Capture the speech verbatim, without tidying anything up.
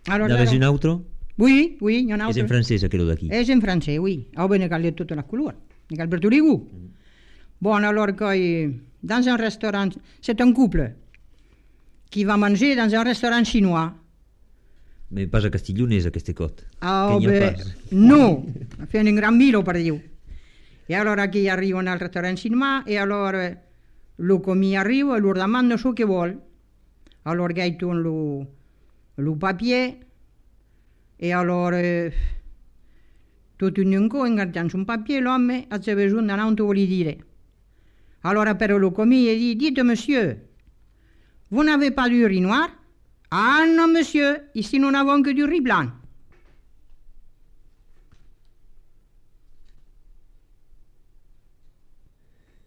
Alors, N'avez alors- un autre? Oui, oui, il y en a És autre. en francès, aquello d'aquí. És en francès, oui. Ah, ben, cal de toutes les couleurs. Cal per tous les goûts. Bon, alors, que, euh, dans un restaurant, c'est un couple qui va manger dans un restaurant chinois. Mais pas a Castiglionès, aquesta cot. Ah, Que n'hi ha ben, pas. no, fent un gran milo, per dir-ho. I allora aquí arriben al restaurant chinois e allora lo comí arriba e lo demanda això que vol. Allora gaitun lo, lo papier e allora eh, tutto in un co ingattant un papier l'homme a se besoin d'anar on vuol dire. Allora però lo comí e dit, dites monsieur, vous n'avez pas du riz noir? Ah non monsieur, ici nous n'avons que du riz blanc.